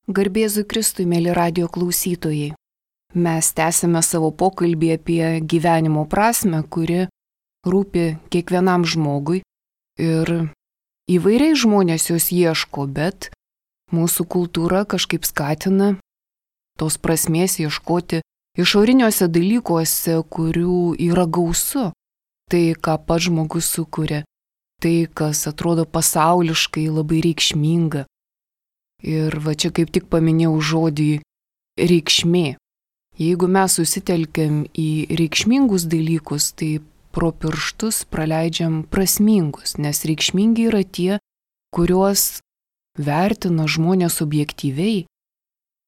Garbėzui Kristui, mėly radijo klausytojai. Mes tęsime savo pokalbį apie gyvenimo prasmę, kuri rūpi kiekvienam žmogui ir įvairiai žmonės jos ieško, bet mūsų kultūra kažkaip skatina tos prasmės ieškoti išoriniuose dalykuose, kurių yra gausu. Tai, ką pats žmogus sukuria, tai, kas atrodo pasauliškai labai reikšminga. Ir va čia kaip tik paminėjau žodį reikšmė. Jeigu mes susitelkiam į reikšmingus dalykus, tai pro pirštus praleidžiam prasmingus, nes reikšmingi yra tie, kuriuos vertina žmonės objektyviai.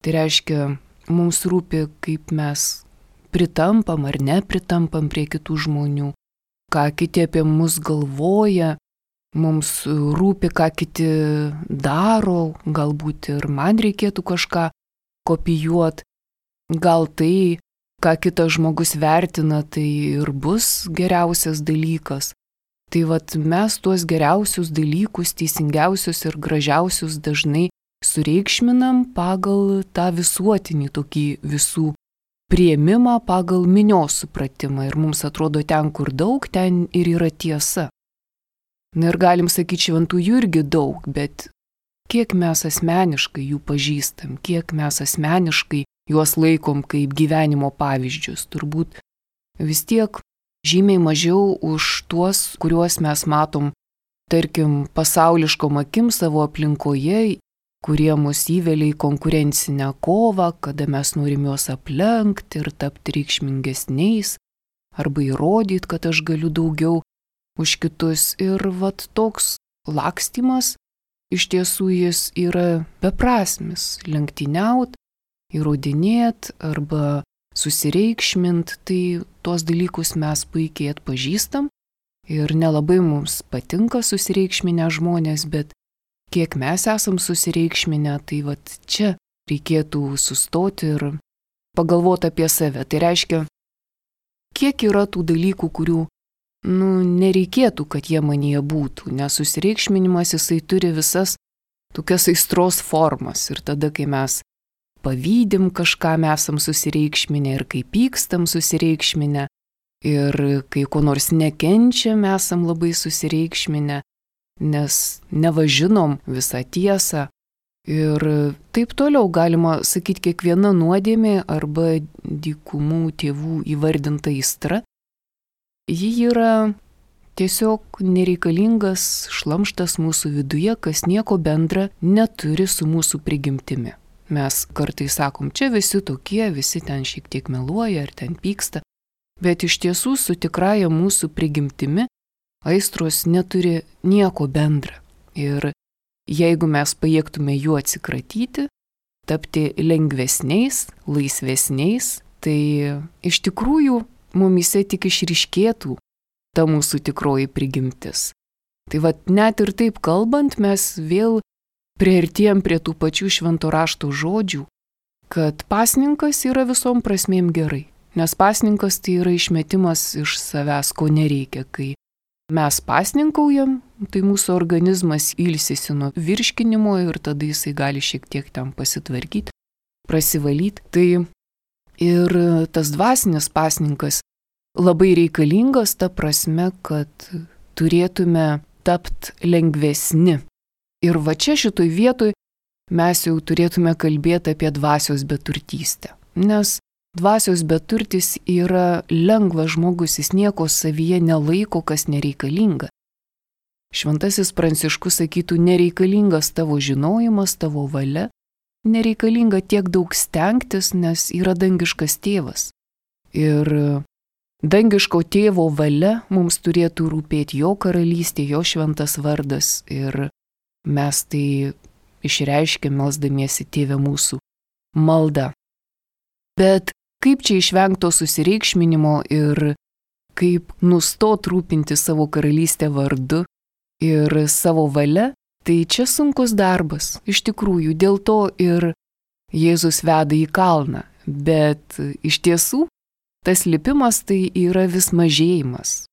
Tai reiškia, mums rūpi, kaip mes pritampam ar nepritampam prie kitų žmonių, ką kiti apie mus galvoja. Mums rūpi, ką kiti daro, galbūt ir man reikėtų kažką kopijuoti. Gal tai, ką kitas žmogus vertina, tai ir bus geriausias dalykas. Tai vat mes tuos geriausius dalykus, teisingiausius ir gražiausius dažnai sureikšminam pagal tą visuotinį tokį visų priėmimą, pagal minios supratimą. Ir mums atrodo ten, kur daug, ten ir yra tiesa. Na ir galim sakyti, šventųjų irgi daug, bet kiek mes asmeniškai jų pažįstam, kiek mes asmeniškai juos laikom kaip gyvenimo pavyzdžius, turbūt vis tiek žymiai mažiau už tuos, kuriuos mes matom, tarkim, pasauliškom akim savo aplinkoje, kurie mus įvelia į konkurencinę kovą, kada mes norim juos aplenkti ir tapti reikšmingesniais, arba įrodyti, kad aš galiu daugiau už kitus. Ir vat toks lakstymas, iš tiesų jis yra beprasmis. Lenktyniaut, įrodinėt arba susireikšmint, tai tuos dalykus mes puikiai atpažįstam ir nelabai mums patinka susireikšminę žmonės, bet kiek mes esam susireikšminę, tai vat čia reikėtų sustoti ir pagalvoti apie save. Tai reiškia, kiek yra tų dalykų, kurių nereikėtų, kad jie manyje būtų, nes susireikšminimas jisai turi visas tokias aistros formas. Ir tada, kai mes pavydim kažką, mes esam susireikšminę, ir kai pykstam susireikšminę, ir kai ko nors nekenčiam, esam labai susireikšminę, nes nevažinom visą tiesą. Ir taip toliau galima sakyti, kiekviena nuodėmė arba dykumų tėvų įvardinta aistra, ji yra tiesiog nereikalingas šlamštas mūsų viduje, kas nieko bendra neturi su mūsų prigimtimi. Mes kartais sakom, čia visi tokie, visi ten šiek tiek meluoja ar ten pyksta, bet iš tiesų su tikraja mūsų prigimtimi aistros neturi nieko bendra. Ir jeigu mes pajėgtume jų atsikratyti, tapti lengvesniais, laisvesniais, tai iš tikrųjų mumyse tik išryškėtų ta mūsų tikroji prigimtis. Tai vat net ir taip kalbant, mes vėl priartėjom prie tų pačių švento rašto žodžių, kad pasninkas yra visom prasmėm gerai. Nes pasninkas tai yra išmetimas iš savęs, ko nereikia. Kai mes pasninkaujam, tai mūsų organizmas ilsisi nuo virškinimo ir tada jisai gali šiek tiek ten pasitvarkyti, prasivalyti. Tai ir tas dvasinis pasninkas labai reikalingas ta prasme, kad turėtume tapti lengvesni. Ir va čia šitoj vietoj mes jau turėtume kalbėti apie dvasios beturtystę. Nes dvasios beturtis yra lengvas žmogus, jis nieko savyje nelaiko, kas nereikalinga. Šventasis Pranciškus sakytų, nereikalingas tavo žinojimas, tavo valia, nereikalinga tiek daug stengtis, nes yra dangiškas tėvas. Ir dangiško tėvo valia mums turėtų rūpėti jo karalystė, jo šventas vardas. Ir mes tai išreiškėm melsdamiesi Tėve mūsų maldą. Bet kaip čia išvengto susireikšminimo ir kaip nustot rūpinti savo karalystę vardu ir savo valia, tai čia sunkus darbas. Iš tikrųjų, dėl to ir Jėzus veda į kalną. Bet iš tiesų, tas lipimas tai yra vis mažėjimas.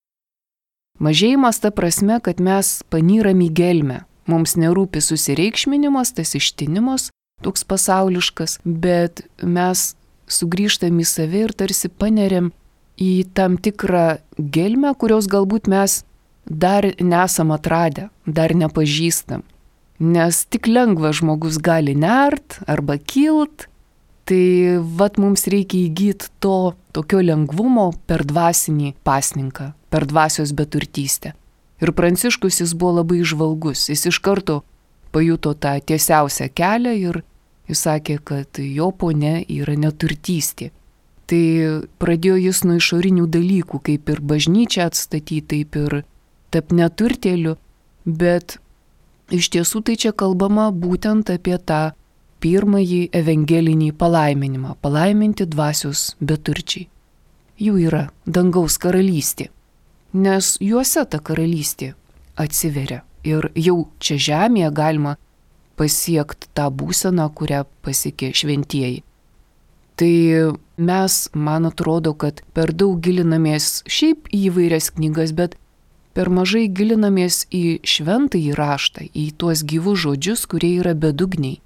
Mažėjimas ta prasme, kad mes panyram į gelmę. Mums nerūpi susireikšminimas, tas ištinimas, toks pasauliškas, bet mes sugrįžtam į save ir tarsi paneriam į tam tikrą gelmę, kurios galbūt mes dar nesam atradę, dar nepažįstam. Nes tik lengva žmogus gali nert arba kilt, tai mums reikia įgyti to tokio lengvumo per dvasinį pasninką, per dvasios beturtystę. Ir Pranciškus jis buvo labai įžvalgus, jis iš karto pajuto tą tiesiausią kelią ir jis sakė, kad jo ponia yra neturtystė. Tai pradėjo jis nuo išorinių dalykų, kaip ir bažnyčią atstatyti, taip ir tap neturtėliu, bet iš tiesų tai čia kalbama būtent apie tą pirmąjį evangelinį palaiminimą, palaiminti dvasios beturčiai. Jų yra dangaus karalystė, nes juose ta karalystė atsiveria ir jau čia žemėje galima pasiekti tą būseną, kurią pasiekė šventieji. Tai mes, man atrodo, kad per daug gilinamės šiaip į įvairias knygas, bet per mažai gilinamės į šventąjį raštą, į tuos gyvus žodžius, kurie yra bedugniai.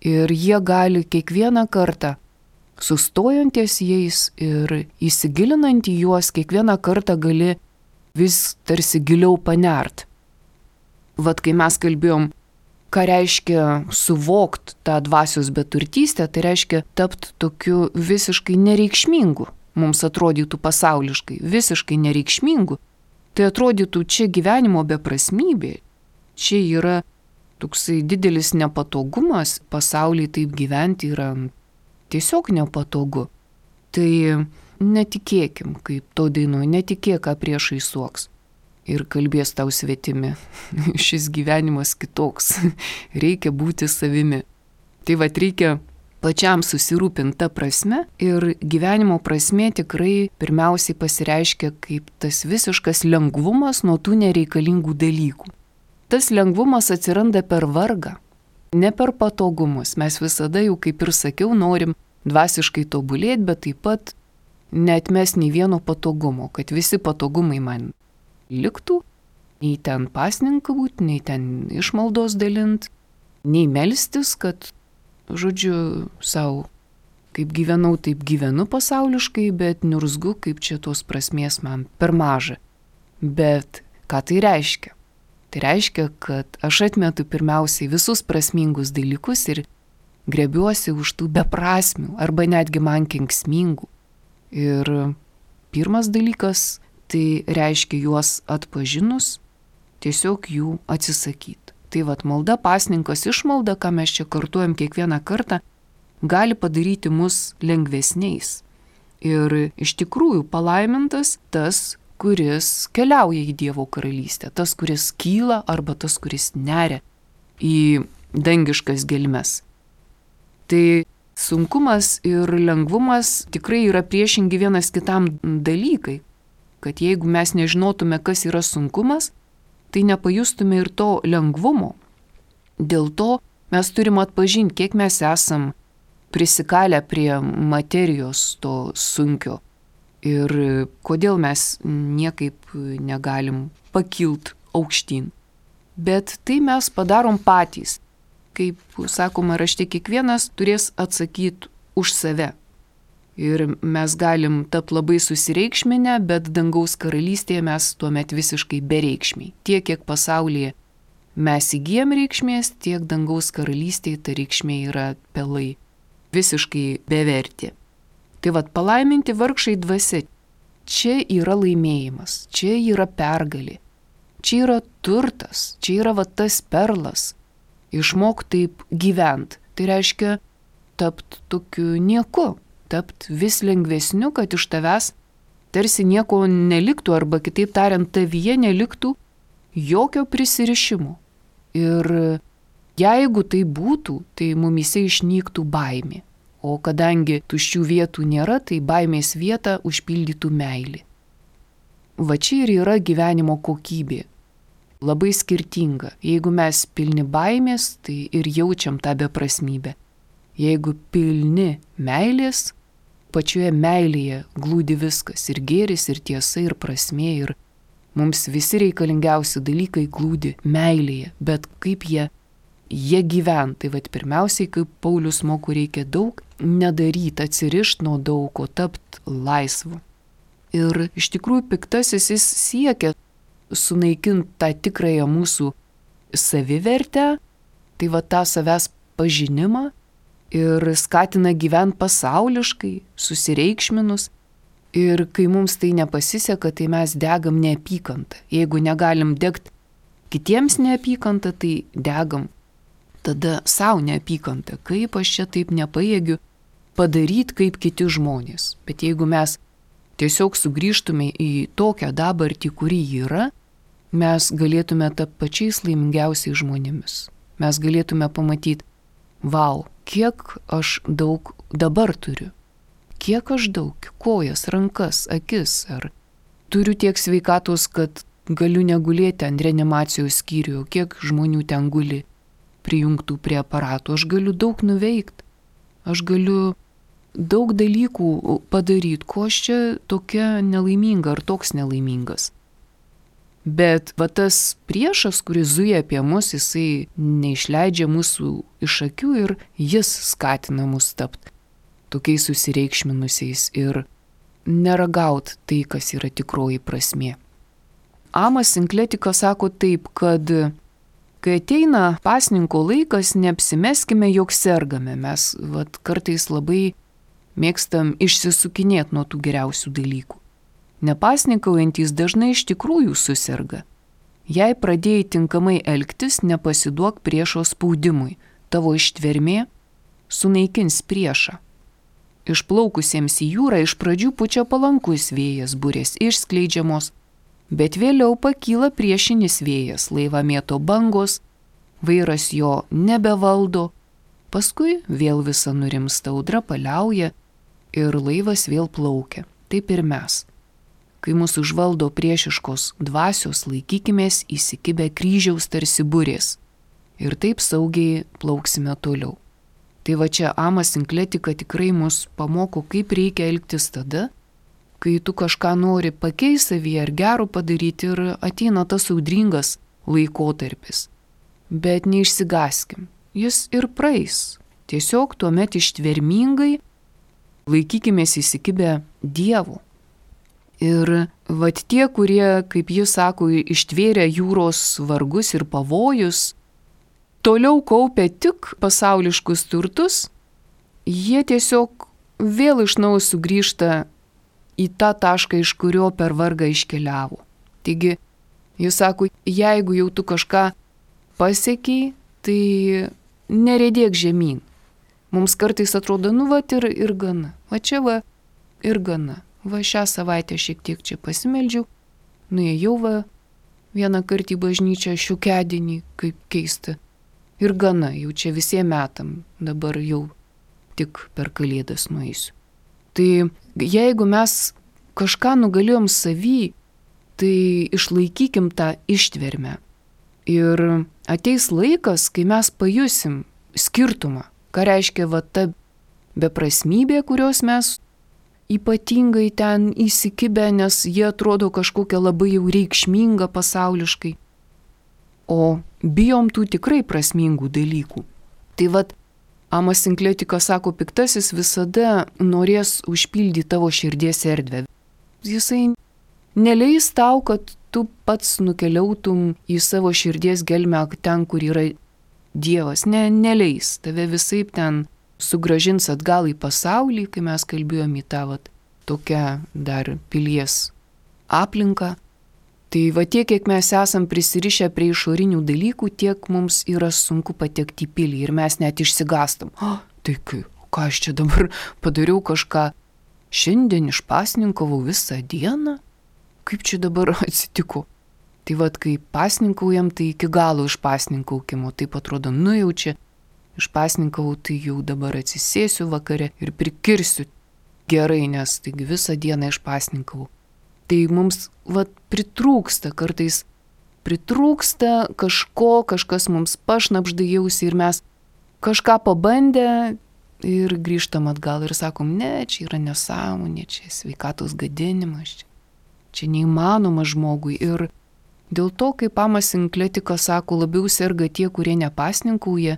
Ir jie gali kiekvieną kartą, sustojant ties jais ir įsigilinant į juos, kiekvieną kartą gali vis tarsi giliau panert. Kai mes kalbėjom, ką reiškia suvokt tą dvasios beturtystę, tai reiškia tapti tokiu visiškai nereikšmingu, mums atrodytų pasauliškai, visiškai nereikšmingu. Tai atrodytų čia gyvenimo beprasmybė, čia yra toksai didelis nepatogumas, pasaulyje taip gyventi yra tiesiog nepatogu. Tai netikėkim, kaip to dainuoja, netikėk, ką priešai suoks. Ir kalbės tau svetimi. Šis gyvenimas kitoks. Reikia būti savimi. Tai reikia pačiam susirūpinti tą prasme ir gyvenimo prasmė tikrai pirmiausiai pasireiškia kaip tas visiškas lengvumas nuo tų nereikalingų dalykų. Tas lengvumas atsiranda per vargą, ne per patogumus. Mes visada jau, kaip ir sakiau, norim dvasiškai tobulėti, bet taip pat neatmes nei vieno patogumo, kad visi patogumai man liktų, nei ten pasninką būti, nei ten išmaldos dalint, nei melstis, kad, žodžiu, savo, kaip gyvenau, taip gyvenu pasauliškai, bet niurzgu, kaip čia tos prasmės man per maža. Bet ką tai reiškia? Tai reiškia, kad aš atmetu pirmiausiai visus prasmingus dalykus ir grebiuosi už tų beprasmių arba netgi man kenksmingų. Ir pirmas dalykas, tai reiškia juos atpažinus, tiesiog jų atsisakyti. Tai malda, pasninkas, išmalda, ką mes čia kartuojam kiekvieną kartą, gali padaryti mus lengvesniais. Ir iš tikrųjų palaimintas tas, kuris keliauja į Dievo karalystę, tas, kuris kyla arba tas, kuris neria į dangiškas gelmes. Tai sunkumas ir lengvumas tikrai yra priešingi vienas kitam dalykai. Kad jeigu mes nežinotume, kas yra sunkumas, tai nepajustume ir to lengvumo. Dėl to mes turim atpažinti, kiek mes esam prisikalę prie materijos to sunkio ir kodėl mes niekaip negalim pakilt aukštyn. Bet tai mes padarom patys. Kaip sakoma rašte, kiekvienas turės atsakyti už save. Ir mes galim tapti labai susireikšminę, bet dangaus karalystėje mes tuomet visiškai bereikšmiai. Tiek, kiek pasaulyje mes įgyjam reikšmės, tiek dangaus karalystėje ta reikšmė yra pelai, visiškai beverti. Tai palaiminti vargšai dvasia, čia yra laimėjimas, čia yra pergalė, čia yra turtas, čia yra tas perlas. Išmok taip gyvent, tai reiškia tapti tokiu nieku. Tapti vis lengvesniu, kad iš tavęs tarsi nieko neliktų, arba kitaip tariant, tavyje neliktų jokio prisirišimo. Ir jeigu tai būtų, tai mumyse išnyktų baimė. O kadangi tuščių vietų nėra, tai baimės vietą užpildytų meilė. Čia ir yra gyvenimo kokybė. Labai skirtinga. Jeigu mes pilni baimės, tai ir jaučiam tą beprasmybę. Jeigu pilni meilės, pačioje meilėje glūdi viskas, ir gėris, ir tiesa, ir prasmė, ir mums visi reikalingiausi dalykai glūdi meilėje, bet kaip jie jie gyvena. Tai vat pirmiausiai, kaip Paulius moko, reikia daug nedaryti, atsirišti nuo daug, o tapti laisvu. Ir iš tikrųjų piktasis jis siekia sunaikinti tą tikrąją mūsų savivertę, tai va tą savęs pažinimą ir skatina gyventi pasauliškai, susireikšminus. Ir kai mums tai nepasiseka, tai mes degam neapykantą. Jeigu negalim degti kitiems neapykantą, tai degam tada savo neapykantą. Kaip aš čia taip nepajėgiu padaryti kaip kiti žmonės. Bet jeigu mes tiesiog sugrįžtume į tokią dabartį, kuri yra, mes galėtume tapti pačiais laimingiausiais žmonėmis. Mes galėtume pamatyti, vau, kiek aš daug dabar turiu. Kiek aš daug, kojas, rankas, akis, ar turiu tiek sveikatos, kad galiu negulėti ant reanimacijos skyrių, kiek žmonių ten guli prijungtų prie aparatų. Aš galiu daug nuveikti, aš galiu daug dalykų padaryti, ko aš čia tokia nelaiminga ar toks nelaimingas. Bet va tas priešas, kuris zuja apie mus, jisai neišleidžia mūsų iš akių ir jis skatina mus tapti tokiais susireikšminusiais ir neragaut tai, kas yra tikroji prasmė. Amas Sinkletikas sako taip, kad kai ateina pasninko laikas, neapsimeskime, jog sergame. Mes kartais labai mėgstam išsisukinėti nuo tų geriausių dalykų. Nepasninkaujantys dažnai iš tikrųjų suserga. Jei pradėjai tinkamai elgtis, nepasiduok priešo spaudimui. Tavo ištvermė sunaikins priešą. Išplaukusiems į jūrą iš pradžių pučia palankus vėjas, burės išskleidžiamos, bet vėliau pakyla priešinis vėjas, laivą mėto bangos, vairas jo nebevaldo, paskui vėl visa nurimsta, audra paliauja ir laivas vėl plaukia. Taip ir mes. Kai mūsų užvaldo priešiškos dvasios, laikykimės įsikibę kryžiaus tarsi burės ir taip saugiai plauksime toliau. Tai va čia Amas Sinkletika tikrai mus pamoko, kaip reikia elgtis tada, kai tu kažką nori pakeisti savyje ar gero padaryti ir ateina tas audringas laikotarpis. Bet neišsigaskim, jis ir praeis. Tiesiog tuomet ištvermingai laikykimės įsikibę Dievu. Ir vat tie, kurie, kaip jis sako, ištvėrė jūros vargus ir pavojus, toliau kaupia tik pasauliškus turtus, jie tiesiog vėl iš naujo sugrįžta į tą tašką, iš kurio per vargą iškeliavo. Taigi, jis sako, jeigu jau tu kažką pasiekiai, tai neredėk žemyn. Mums kartais atrodo, ir gana. Va čia ir gana. Va šią savaitę šiek tiek čia pasimeldžiau, nuėjau vieną kartą į bažnyčią šiokiadienį, kaip keista. Ir gana, jau čia visiems metam, dabar jau tik per Kalėdas nueisiu. Tai jeigu mes kažką nugalėjom savy, tai išlaikykim tą ištvermę. Ir ateis laikas, kai mes pajusim skirtumą, ką reiškia ta beprasmybė, kurios mes ypatingai ten įsikibę, nes jie atrodo kažkokia labai jau reikšminga pasauliškai. O bijom tų tikrai prasmingų dalykų. Tai Amas Sinkletikas sako, piktasis visada norės užpildyti tavo širdies erdvę. Jisai neleis tau, kad tu pats nukeliautum į savo širdies gelmę ten, kur yra Dievas. Neleis. Tave visaip ten sugražins atgal į pasaulį, kai mes kalbėjom į tą tokią dar pilies aplinką. Tai tiek, kiek mes esam prisirišę prie išorinių dalykų, tiek mums yra sunku patekti į pilį ir mes net išsigastam. Tai ką aš čia dabar padariau kažką, šiandien išpasninkavau visą dieną? Kaip čia dabar atsitiko? Tai kai pasninkaujam, tai iki galo išpasninkaukimo, taip atrodo, jau čia išpasninkavau, tai jau dabar atsisėsiu vakare ir prikirsiu gerai, nes taigi visą dieną išpasninkavau. Tai mums pritrūksta kartais, kažko, kažkas mums pašnapžda jausi ir mes kažką pabandę ir grįžtam atgal ir sakom, ne, čia yra nesąmonė, čia sveikatos gadinimas, čia neįmanoma žmogui. Ir Dėl to, kaip Amas Sinkletikas sako, labiau serga tie, kurie nepasninkauja,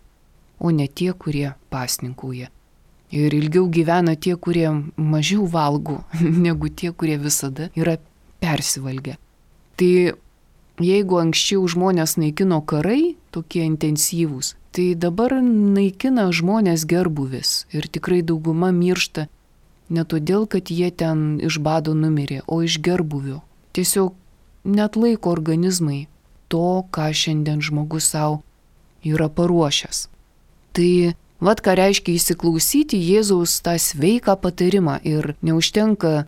o ne tie, kurie pasninkauja. Ir ilgiau gyvena tie, kurie mažiau valgo, negu tie, kurie visada yra persivalgę. Tai jeigu anksčiau žmonės naikino karai, tokie intensyvūs, tai dabar naikina žmonės gerbuvis. Ir tikrai dauguma miršta ne todėl, kad jie ten iš bado numirė, o iš gerbuvio. Tiesiog net laiko organizmai to, ką šiandien žmogus savo yra paruošęs. Tai vat ką reiškia įsiklausyti Jėzaus tą sveiką patarimą ir neužtenka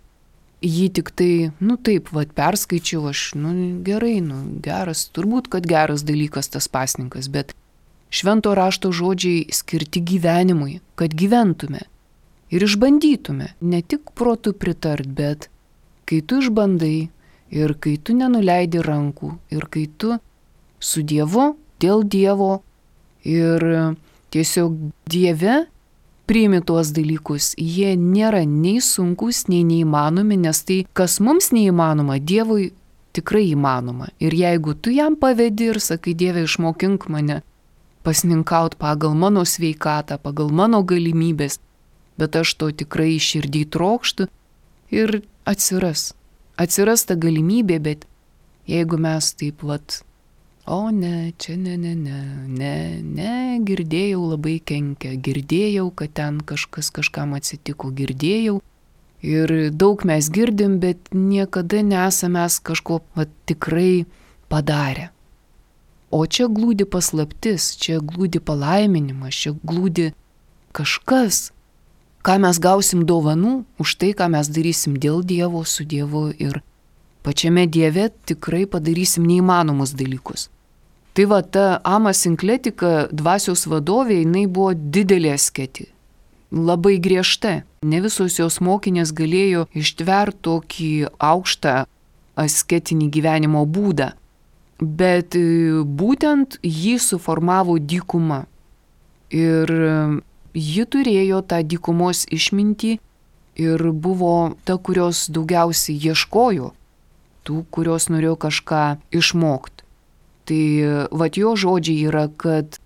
jį tik tai, taip, vat perskaičiau aš, gerai, geras, turbūt, kad geras dalykas tas pasninkas, bet švento rašto žodžiai skirti gyvenimui, kad gyventume ir išbandytume, ne tik protu pritart, bet kai tu išbandai ir kai tu nenuleidi rankų ir kai tu su Dievu, dėl Dievo ir tiesiog Dieve priimi tuos dalykus. Jie nėra nei sunkus, nei neįmanomi, nes tai, kas mums neįmanoma, Dievui tikrai įmanoma. Ir jeigu tu jam pavedi ir sakai, Dieve, išmokink mane pasninkaut pagal mano sveikatą, pagal mano galimybės, bet aš to tikrai širdį trokštu ir atsiras ta galimybė, bet jeigu mes taip o ne, čia ne, girdėjau labai kenkia, girdėjau, kad ten kažkam atsitiko, girdėjau. Ir daug mes girdim, bet niekada nesame kažko tikrai padarę. O čia glūdi paslaptis, čia glūdi palaiminimas, čia glūdi kažkas, ką mes gausim dovanų už tai, ką mes darysim dėl Dievo, su Dievu ir pačiame Dieve tikrai padarysim neįmanomus dalykus. Tai ta Amas Sinkletika, dvasios vadovė, jinai buvo didelė asketė, labai griežta. Ne visos jos mokinės galėjo ištverti tokį aukštą asketinį gyvenimo būdą, bet būtent jį suformavo dykuma. Ir ji turėjo tą dykumos išmintį ir buvo ta, kurios daugiausiai ieškojo, tų, kurios norėjo kažką išmokti. Tai jo žodžiai yra, kad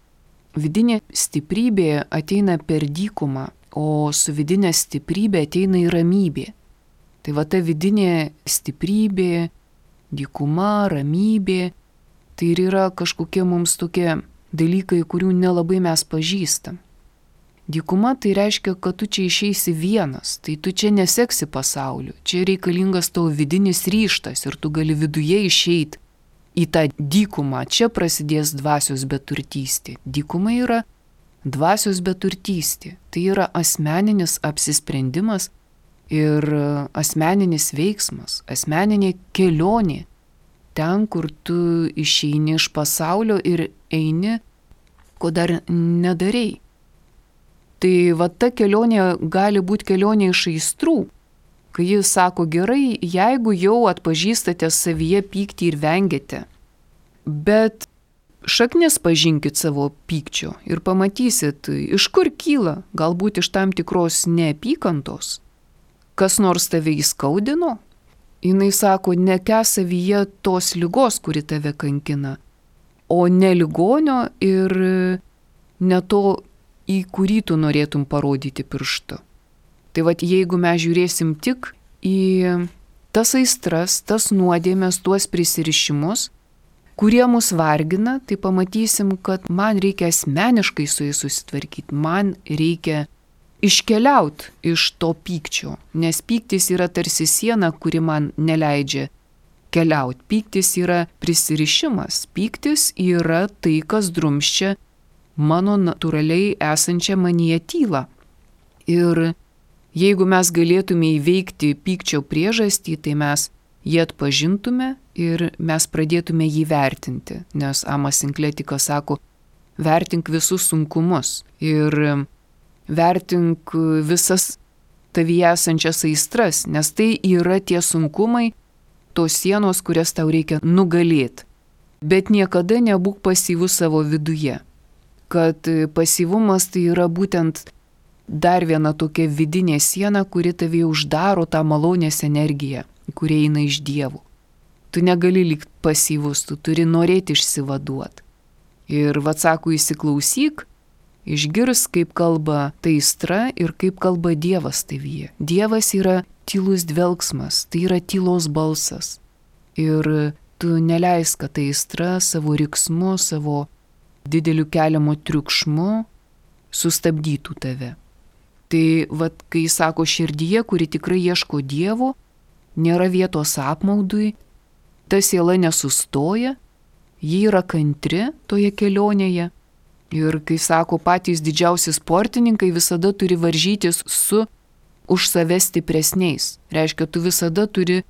vidinė stiprybė ateina per dykumą, o su vidinė stiprybė ateina į ramybė. Tai ta vidinė stiprybė, dykuma, ramybė, tai ir yra kažkokie mums tokie dalykai, kurių nelabai mes pažįstam. Dykuma tai reiškia, kad tu čia išeisi vienas, tai tu čia neseksi pasauliu, čia reikalingas tavo vidinis ryžtas ir tu gali viduje išeiti į tą dykumą, čia prasidės dvasios beturtystė. Dykuma yra dvasios beturtystė, tai yra asmeninis apsisprendimas ir asmeninis veiksmas, asmeninė kelionė, ten, kur tu išeini iš pasaulio ir eini, ko dar nedarei. Tai ta kelionė gali būti kelionė iš aistrų, kai jis sako, gerai, jeigu jau atpažįstate savyje pyktį ir vengiate, bet šaknis pažinkit savo pykčio ir pamatysit, iš kur kyla, galbūt iš tam tikros neapykantos, kas nors tave įskaudino. Jis sako, nekęs savyje tos ligos, kuri tave kankina, o ne ligonio ir ne to, į kurį tu norėtum parodyti pirštu. Tai jeigu mes žiūrėsim tik į tas aistras, tas nuodėmes, tuos prisirišimus, kurie mus vargina, tai pamatysim, kad man reikia asmeniškai su jais susitvarkyti, man reikia iškeliauti iš to pykčio, nes pyktis yra tarsi siena, kuri man neleidžia keliauti. Pyktis yra prisirišimas, pyktis yra tai, kas drumsčia mano natūraliai esančią manyje tylą. Ir jeigu mes galėtume įveikti pykčio priežastį, tai mes jį atpažintume ir mes pradėtume jį vertinti, nes Amas Sinkletikas sako, vertink visus sunkumus ir vertink visas tavyje esančias aistras, nes tai yra tie sunkumai, tos sienos, kurias tau reikia nugalėti. Bet niekada nebūk pasyvus savo viduje, kad pasyvumas tai yra būtent dar viena tokia vidinė siena, kuri tavį uždaro tą malonės energiją, kuri eina iš Dievo. Tu negali likti pasyvus, tu turi norėti išsivaduoti. Ir sako, įsiklausyk, išgirs, kaip kalba ta aistra ir kaip kalba Dievas tavyje. Dievas yra tylus dvelgsmas, tai yra tylos balsas. Ir tu neleisk, kad ta aistra savo riksmu, savo dideliu keliamu triukšmu sustabdytų tave. Tai kai sako širdyje, kuri tikrai ieško Dievo, nėra vietos apmaudui, ta siela nesustoja, ji yra kantri toje kelionėje. Ir kai sako, patys didžiausi sportininkai visada turi varžytis su už save stipresniais. Reiškia, tu visada turi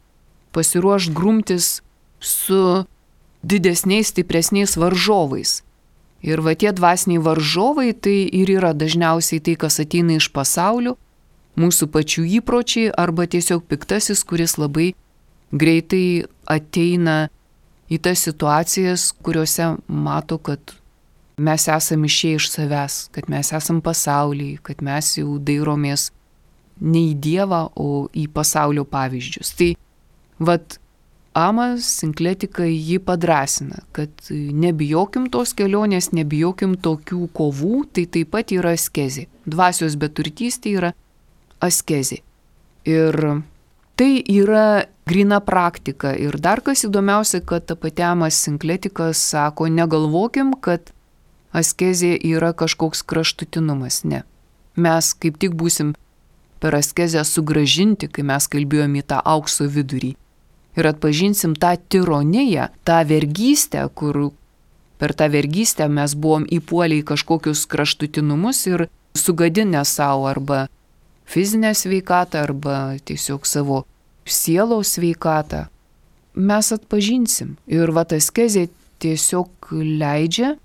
pasiruošti grumtis su didesniais, stipresniais varžovais. Ir tie dvasiniai varžovai tai ir yra dažniausiai tai, kas ateina iš pasaulio, mūsų pačių įpročiai arba tiesiog piktasis, kuris labai greitai ateina į tas situacijas, kuriuose mato, kad mes esame išėję iš savęs, kad mes esame pasaulyje, kad mes jau dairomės ne į Dievą, o į pasaulio pavyzdžius. Tai Ama Sinkletika jį padrasina, kad nebijokim tos kelionės, nebijokim tokių kovų, tai taip pat yra askezė. Dvasios beturtystė yra askezė. Ir tai yra grina praktika. Ir dar kas įdomiausia, kad ta pati Ama Sinkletika sako, negalvokim, kad askezė yra kažkoks kraštutinumas. Ne. Mes kaip tik būsim per askezę sugrąžinti, kai mes kalbėjome į tą aukso vidurį. Ir atpažinsim tą tironiją, tą vergystę, kur per tą vergystę mes buvom įpuolę į kažkokius kraštutinumus ir sugadinę savo arba fizinę sveikatą, arba tiesiog savo sielos sveikatą. Mes atpažinsim. Ir askezė tiesiog leidžia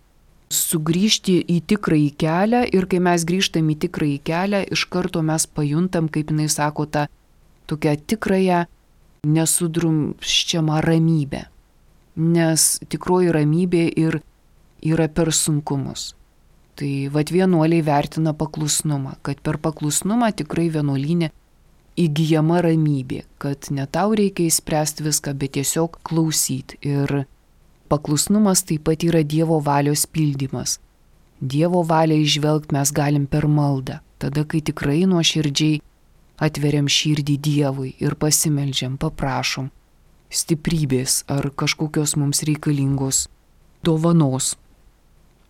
sugrįžti į tikrąjį kelią ir kai mes grįžtam į tikrąjį kelią, iš karto mes pajuntam, kaip jinai sako, tą tokią tikrąją nesudrumsčiamą ramybę. Nes tikroji ramybė ir yra per sunkumus. Tai vienuoliai vertina paklusnumą, kad per paklusnumą tikrai vienuolyne įgyjama ramybė, kad ne tau reikia įspręsti viską, bet tiesiog klausyti. Ir paklusnumas taip pat yra Dievo valios pildymas. Dievo valią išvelgti mes galim per maldą, tada kai tikrai nuoširdžiai atveriam širdį Dievui ir pasimeldžiam, paprašom stiprybės ar kažkokios mums reikalingos dovanos.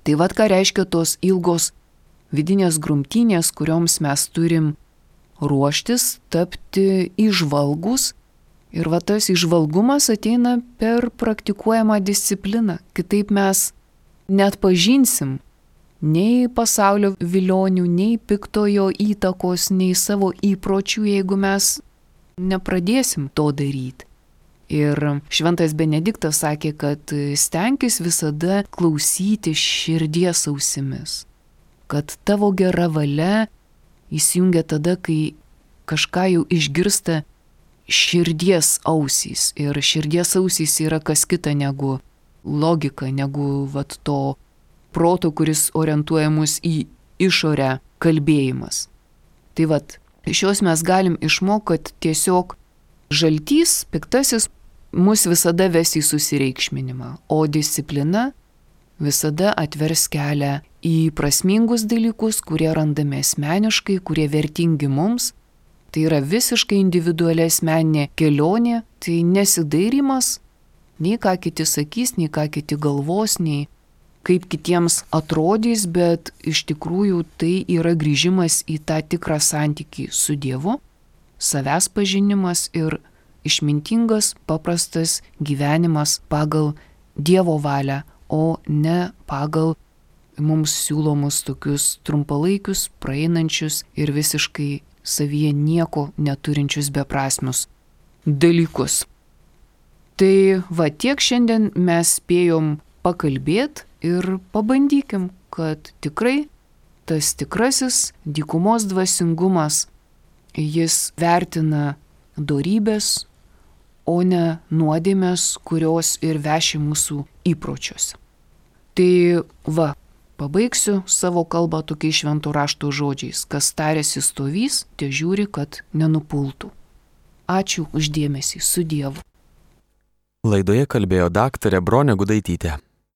Tai ką reiškia tos ilgos vidinės grumtynės, kurioms mes turim ruoštis, tapti įžvalgus. Ir tas įžvalgumas ateina per praktikuojamą discipliną. Kitaip mes neatpažinsim nei pasaulio vilionių, nei piktojo įtakos, nei savo įpročių, jeigu mes nepradėsim to daryti. Ir šventas Benediktas sakė, kad stenkis visada klausyti širdies ausimis, kad tavo gera valia įsijungia tada, kai kažką jau išgirsta širdies ausys. Ir širdies ausys yra kas kita negu logika, negu to proto, kuris orientuoja mus į išorę kalbėjimas. Tai iš jos mes galim išmokti, kad tiesiog žaltys, piktasis, mus visada ves į susireikšminimą, o disciplina visada atvers kelią į prasmingus dalykus, kurie randame asmeniškai, kurie vertingi mums. Tai yra visiškai individuali asmeninė kelionė, tai nesidairimas, nei ką kiti sakys, nei ką kiti galvos, nei kaip kitiems atrodys, bet iš tikrųjų tai yra grįžimas į tą tikrą santykį su Dievu, savęs pažinimas ir išmintingas, paprastas gyvenimas pagal Dievo valią, o ne pagal mums siūlomus tokius trumpalaikius, praeinančius ir visiškai savyje nieko neturinčius beprasmius dalykus. Tai tiek šiandien mes spėjom pakalbėti ir pabandykim, kad tikrai tas tikrasis dykumos dvasingumas, jis vertina dorybės, o ne nuodėmes, kurios ir veši mūsų įpročiuose. Tai pabaigsiu savo kalbą tokiais švento rašto žodžiais, kas tariasi stovys, te žiūri, kad nenupultų. Ačiū už dėmesį, su Dievu. Laidoje kalbėjo daktarė Bronė Gudaitytė.